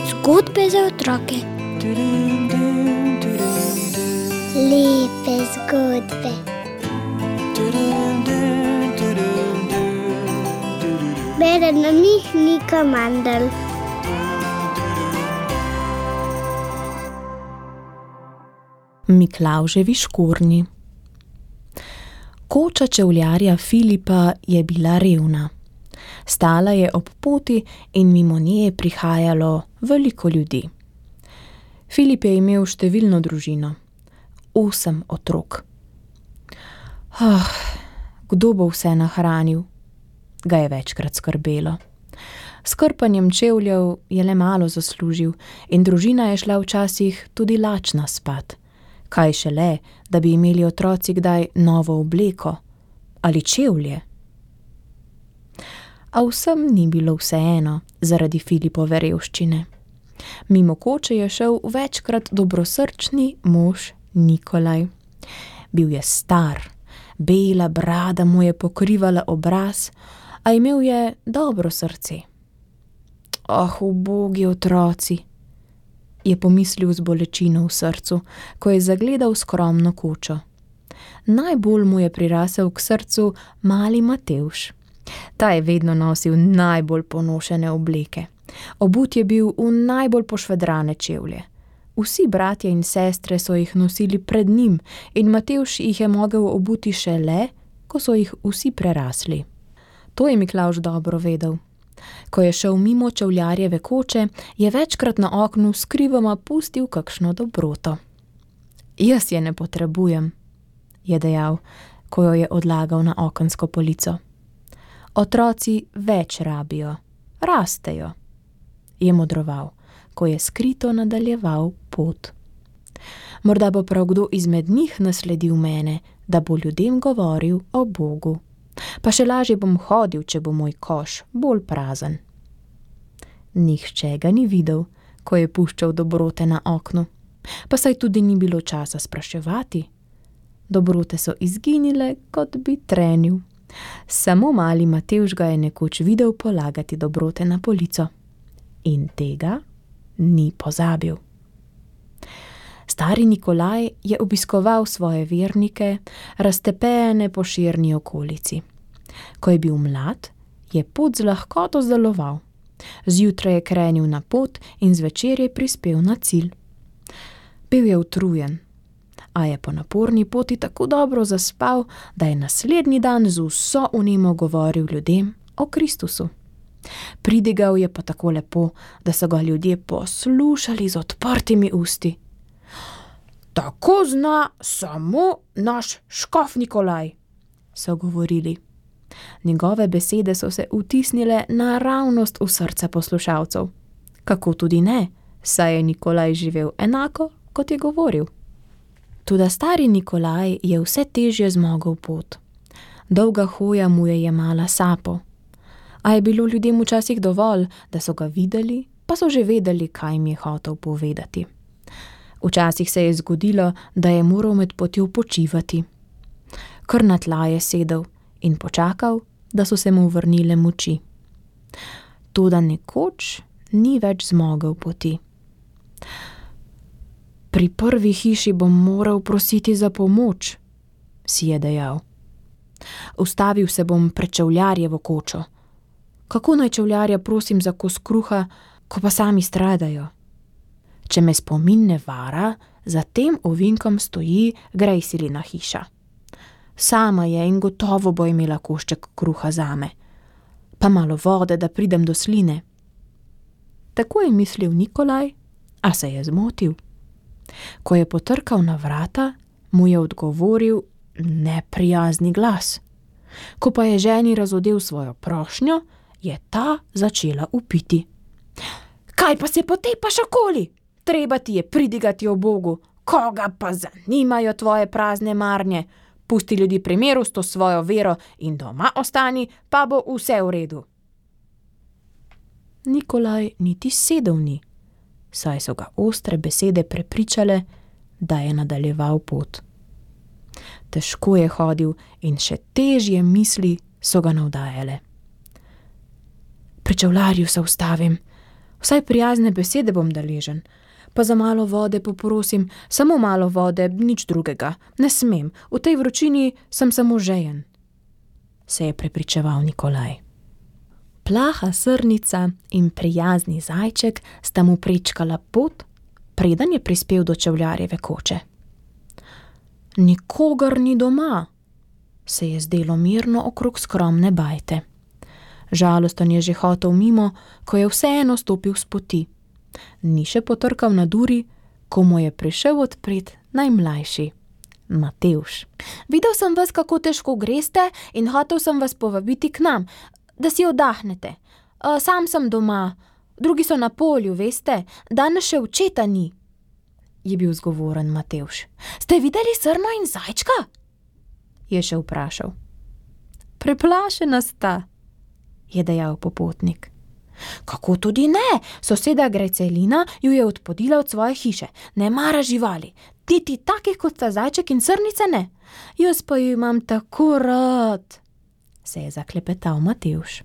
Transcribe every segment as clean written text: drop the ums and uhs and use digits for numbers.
Zgodbe za otroke. Lepe zgodbe. Bere nam jih Nika Mandl. Miklavževi škornji. Koča čevljarja Filipa je bila revna. Stala je ob poti in mimo nje je prihajalo veliko ljudi. Filip je imel številno družino, 8 otrok. Kdo bo vse nahranil? Ga je večkrat skrbelo. S krpanjem čevljev je le malo zaslužil in družina je šla včasih tudi lačna spat. Kaj šele, da bi imeli otroci kdaj novo obleko ali čevlje. A vsem ni bilo vseeno zaradi Filipove revščine. Mimo koče je šel večkrat dobrosrčni mož Nikolaj. Bil je star, bela brada mu je pokrivala obraz, a imel je dobro srce. Ubogi otroci, je pomislil z bolečino v srcu, ko je zagledal skromno kočo. Najbolj mu je prirasel k srcu mali Matevž. Ta je vedno nosil najbolj ponošene obleke. Obut je bil v najbolj pošvedrane čevlje. Vsi bratje in sestre so jih nosili pred njim in Matevž jih je mogel obuti šele, ko so jih vsi prerasli. To je Miklavž dobro vedel. Ko je šel mimo čevljarjeve koče, je večkrat na oknu skrivoma pustil kakšno dobroto. Jaz je ne potrebujem, je dejal, ko jo je odlagal na okensko polico. Otroci več rabijo, rastejo, je modroval, ko je skrito nadaljeval pot. Morda bo prav kdo izmed njih nasledil mene, da bo ljudem govoril o Bogu. Pa še lažje bom hodil, če bo moj koš bolj prazen. Nihče ga ni videl, ko je puščal dobrote na oknu, pa saj tudi ni bilo časa spraševati. Dobrote so izginile, kot bi trenil. Samo mali Matevž ga je nekoč videl polagati dobrote na polico. In tega ni pozabil. Stari Nikolaj je obiskoval svoje vernike, raztepene po širni okolici. Ko je bil mlad, je pot z lahkoto zdeloval. Zjutraj je krenil na pot in zvečer je prispel na cilj. Bil je utrujen, a je po naporni poti tako dobro zaspal, da je naslednji dan z vso vnemo govoril ljudem o Kristusu. Pridigal je pa tako lepo, da so ga ljudje poslušali z odprtimi usti. Tako zna samo naš škof Nikolaj, so govorili. Njegove besede so se vtisnile naravnost v srca poslušalcev. Kako tudi ne, saj je Nikolaj živel enako, kot je govoril. Toda stari Nikolaj je vse težje zmogel pot. Dolga hoja mu je jemala sapo. A je bilo ljudem včasih dovolj, da so ga videli, pa so že vedeli, kaj jim je hotel povedati. Včasih se je zgodilo, da je moral med potjo počivati. Kar na tla je sedel in počakal, da so se mu vrnile moči. Toda nekoč ni več zmogel poti. Pri prvi hiši bom moral prositi za pomoč, si je dejal. Ustavil se bom pred čevljarjevo kočo. Kako naj čevljarja prosim za kos kruha, ko pa sami stradajo? Če me spomin ne vara, za tem ovinkom stoji Grejsilina hiša. Sama je in gotovo bo imela košček kruha zame. Pa malo vode, da pridem do sline. Tako je mislil Nikolaj, a se je zmotil. Ko je potrkal na vrata, mu je odgovoril neprijazni glas. Ko pa je ženi razodel svojo prošnjo, je ta začela vpiti. Kaj pa se potepaš okoli? Treba ti je pridigati o Bogu. Koga pa zanimajo tvoje prazne marnje? Pusti ljudi pri miru s to svojo vero in doma ostani, pa bo vse v redu. Nikolaj niti sedel ni, saj so ga ostre besede prepričale, da je nadaljeval pot. Težko je hodil in še težje misli so ga navdajale. Pri čevljarju se ustavim. Vsaj prijazne besede bom deležen. Pa za malo vode poprosim, samo malo vode, nič drugega. Ne smem, v tej vročini sem samo žejen, se je prepričeval Nikolaj. Plaha srnica in prijazni zajček sta mu prečkala pot, preden je prispel do čevljarjeve koče. Nikogar ni doma, se je zdelo mirno okrog skromne bajte. Žalosten je že hotel mimo, ko je vseeno stopil s poti. Ni še potrkal na duri, ko mu je prišel odpret najmlajši, Matevž. Videl sem vas, kako težko greste, in hotel sem vas povabiti k nam, da si oddahnete. Sam sem doma, drugi so na polju, veste, danes še očeta ni, je bil zgovoren Matevž. Ste videli srno in zajčka? Je še vprašal. Preplašena sta, je dejal popotnik. Kako tudi ne, soseda Grecelina ju je odpodila od svoje hiše, ne mara živali, niti takih kot sta zajček in srnica ne. Jaz pa ju imam tako rad, se je zaklepetal Matevž.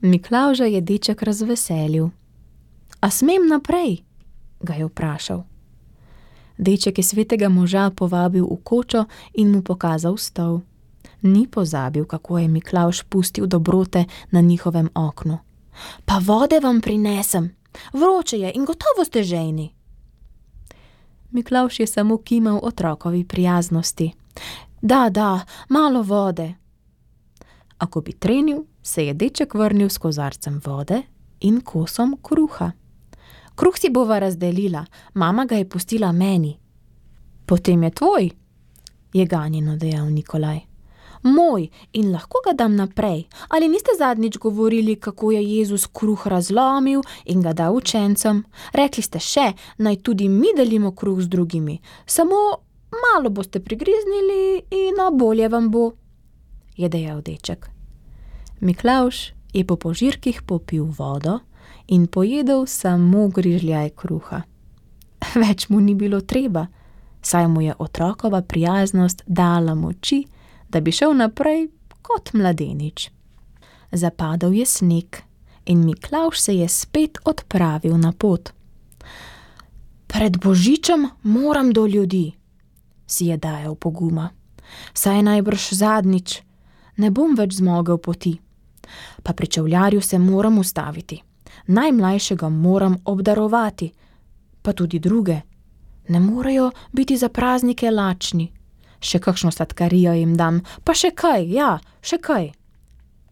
Miklavža je deček razveselil. A smem naprej? Ga je vprašal. Deček je svetega moža povabil v kočo in mu pokazal stol. Ni pozabil, kako je Miklavž pustil dobrote na njihovem oknu. Pa vode vam prinesem, vroče je in gotovo ste žejni. Miklavž je samo kimal otrokovi prijaznosti. Da, malo vode. A ko bi trenil, se je deček vrnil s kozarcem vode in kosom kruha. Kruh si bova razdelila, mama ga je pustila meni. Potem je tvoj, je ganjeno dejal Nikolaj. Moj, in lahko ga dam naprej. Ali niste zadnjič govorili, kako je Jezus kruh razlomil in ga dal učencem? Rekli ste še, naj tudi mi delimo kruh z drugimi. Samo malo boste prigriznili in bolje vam bo, je dejal deček. Miklavž je po požirkih popil vodo in pojedel samo grižljaj kruha. Več mu ni bilo treba, saj mu je otrokova prijaznost dala moči, da bi šel naprej kot mladenič. Zapadal je sneg in Miklavž se je spet odpravil na pot. Pred božičem moram do ljudi, si je dajal poguma. Saj najbrž zadnjič, ne bom več zmogel poti. Pa pri čevljarju se moram ustaviti. Najmlajšega moram obdarovati, pa tudi druge. Ne morejo biti za praznike lačni. Še kakšno sladkarijo jim dam, pa še kaj, ja, še kaj,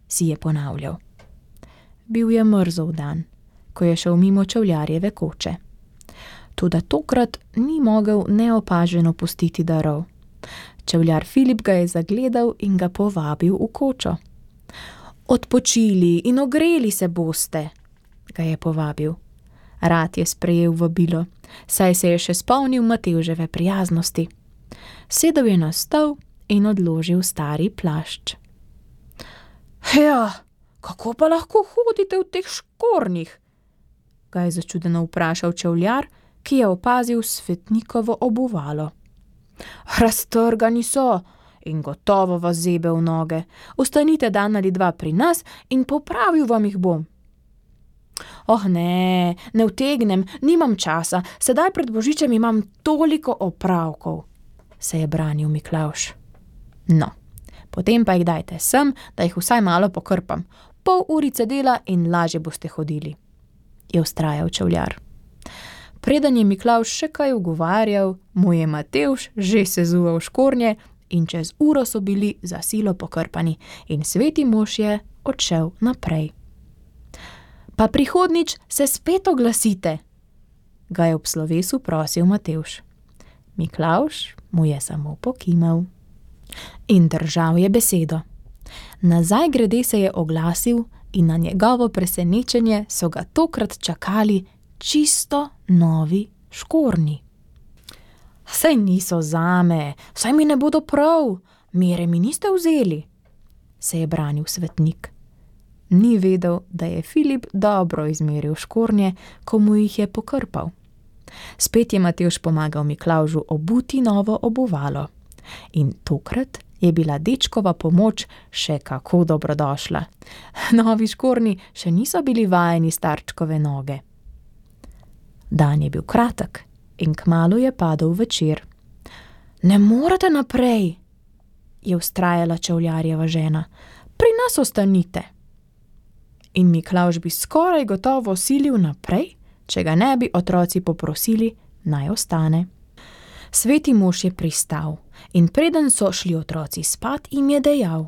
si je ponavljal. Bil je mrzel dan, ko je šel mimo čevljarjeve koče. Toda tokrat ni mogel neopaženo pustiti darov. Čevljar Filip ga je zagledal in ga povabil v kočo. Odpočili in ogreli se boste, ga je povabil. Rad je sprejel vabilo, saj se je še spomnil Matevževe prijaznosti. Sedel je na stol in odložil stari plašč. Ja, kako pa lahko hodite v teh škornjih? Ga je začudeno vprašal čevljar, ki je opazil svetnikovo obuvalo. Raztrgani so in gotovo vas zebe v noge. Ostanite dan ali dva pri nas in popravil vam jih bom. Oh ne utegnem, nimam časa, sedaj pred božičem imam toliko opravkov, se je branil Miklavž. No, potem pa jih dajte sem, da jih vsaj malo pokrpam. Pol urice dela in lažje boste hodili, je vztrajal čevljar. Preden je Miklavž še kaj ugovarjal, mu je Matevž že sezuval škornje in čez uro so bili za silo pokrpani in sveti mož je odšel naprej. Pa prihodnič se spet oglasite, ga je ob slovesu prosil Matevž. Miklavž mu je samo pokimal. In držal je besedo. Nazaj grede se je oglasil in na njegovo presenečenje so ga tokrat čakali čisto novi škornji. Saj niso zame, saj mi ne bodo prav, mere mi niste vzeli, se je branil svetnik. Ni vedel, da je Filip dobro izmeril škornje, ko mu jih je pokrpal. Spet je Matevž pomagal Miklavžu obuti novo obuvalo. In tokrat je bila dečkova pomoč še kako dobrodošla. Novi škornji še niso bili vajeni starčkove noge. Dan je bil kratek in kmalu je padel večer. Ne morete naprej, je vztrajala čevljarjeva žena. Pri nas ostanite. In Miklavž bi skoraj gotovo silil naprej, če ga ne bi otroci poprosili, naj ostane. Sveti mož je pristal in preden so šli otroci spat, jim je dejal: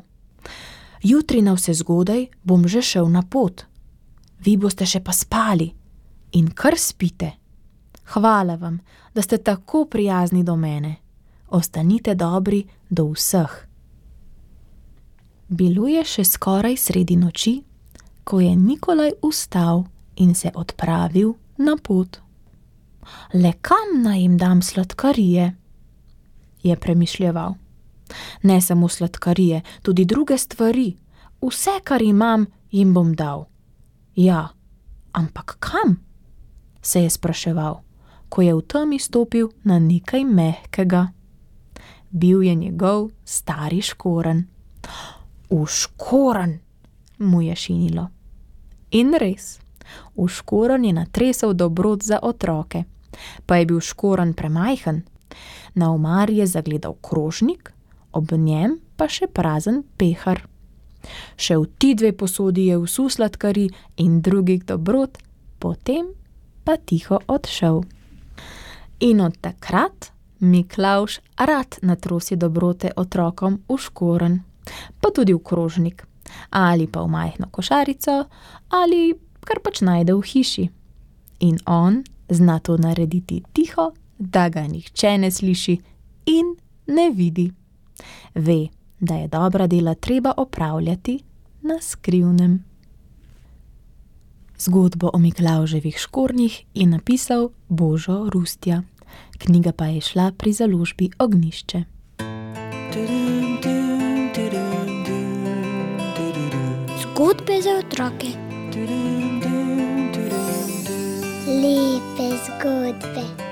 Jutri navsezgodaj bom že šel na pot. Vi boste še pa spali in kar spite. Hvala vam, da ste tako prijazni do mene. Ostanite dobri do vseh. Bilo je še skoraj sredi noči, ko je Nikolaj vstal in se odpravil na pot. Le kam naj jim dam sladkarije? Je premišljeval. Ne samo sladkarije, tudi druge stvari. Vse, kar imam, jim bom dal. Ja, ampak kam? Se je spraševal, ko je v temi stopil na nekaj mehkega. Bil je njegov stari škorenj. V škorenj, mu je šinilo. In res, v škorenj je natresel dobrot za otroke. Pa je bil škorenj premajhen. Na omari je zagledal krožnik, ob njem pa še prazen pehar. Še v ti dve posodi je vsul sladkari in drugih dobrot, potem pa tiho odšel. In od takrat Miklavž rad natrosi dobrote otrokom v škorenj, pa tudi v krožnik, ali pa v majhno košarico, ali kar pač najde v hiši. In on zna to narediti tiho, da ga nihče ne sliši in ne vidi. Ve, da je dobra dela treba opravljati na skrivnem. Zgodbo o Miklavževih škornjih je napisal Božo Rustja. Knjiga pa je šla pri založbi Ognjišče. Zgodbe za otroke. Lepe zgodbe.